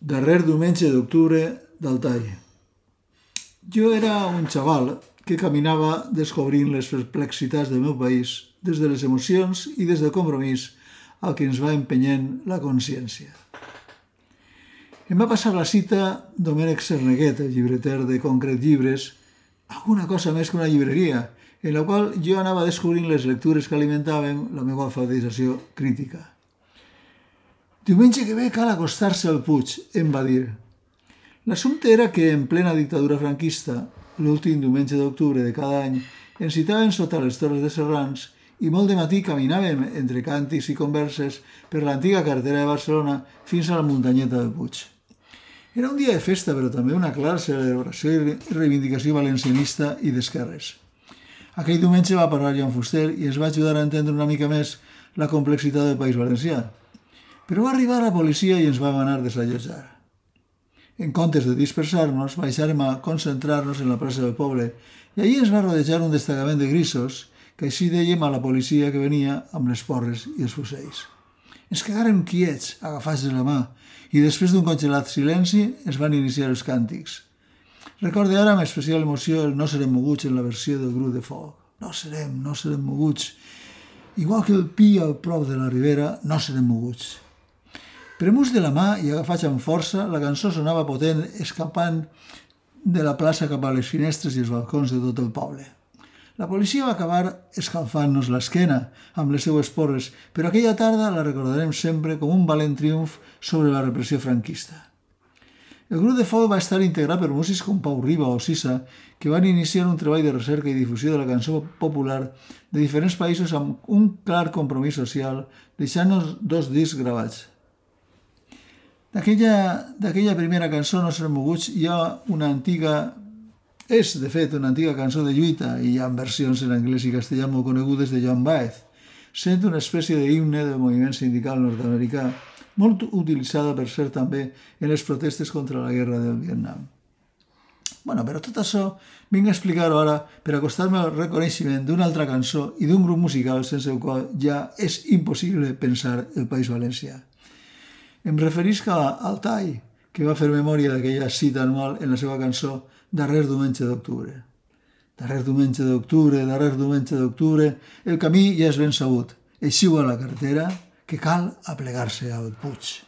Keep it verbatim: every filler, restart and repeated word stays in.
Darrer diumenge d'octubre d'Altai. Jo era un xaval que caminava descobrint les perplexitats del meu país des de les emocions i des del compromís al que ens va empenyent la consciència. Em va passar la cita Domènec Cerneguet, el llibreter de Concret Llibres, alguna cosa més que una llibreria, en la qual jo anava descobrint les lectures que alimentaven la meva alfabetització crítica. Diumenge que ve cal acostar-se al Puig, em va dir. L'assumpte era que en plena dictadura franquista, l'últim diumenge d'octubre de cada any, ens citaven sota les torres de Serrans i molt de matí caminàvem entre càntics i converses per l'antiga carretera de Barcelona fins a la muntanyeta del Puig. Era un dia de festa, però també una clara celebració i reivindicació valencianista i d'esquerres. Aquell diumenge va parlar Joan Fuster i ens va ajudar a entendre una mica més la complexitat del País Valencià. Però va arribar la policia i ens va manar desallotjar. En comptes de dispersar-nos, baixàrem a concentrar-nos en la plaça del poble i allí ens va rodejar un destacament de grisos que així dèiem a la policia que venia amb les porres i els fusells. Ens quedàrem quiets, agafats de la mà, i després d'un congelat silenci es van iniciar els càntics. Recorde ara amb especial emoció el No serem moguts en la versió del grup de foc. No serem, no serem moguts. Igual que el pi al prop de la ribera, no serem moguts. Premus de la mà i agafats amb força, la cançó sonava potent, escapant de la plaça cap a les finestres i els balcons de tot el poble. La policia va acabar escalfant-nos l'esquena amb les seues porres, però aquella tarda la recordarem sempre com un valent triomf sobre la repressió franquista. El grup de foc va estar integrat per músics com Pau Riba o Sisa, que van iniciar un treball de recerca i difusió de la cançó popular de diferents països amb un clar compromís social, deixant-nos dos discs gravats. D'aquella primera cançó, No serem moguts, hi ha una antiga, és de fet una antiga cançó de lluita i hi ha versions en anglès i castellà molt conegudes de Joan Baez, sent una espècie d'himne del moviment sindical nord-americà, molt utilitzada per cert també en les protestes contra la guerra del Vietnam. Bueno, però tot això vinc a explicar-ho ara per acostar-me al reconeixement d'una altra cançó i d'un grup musical sense el qual ja és impossible pensar el País Valencià. Em referisc a Altai, que va fer memòria d'aquella cita anual en la seva cançó Darrer diumenge d'octubre. Darrer diumenge d'octubre, darrer diumenge d'octubre, el camí ja és ben sabut. Eixiu a la carretera, que cal aplegar-se al Puig.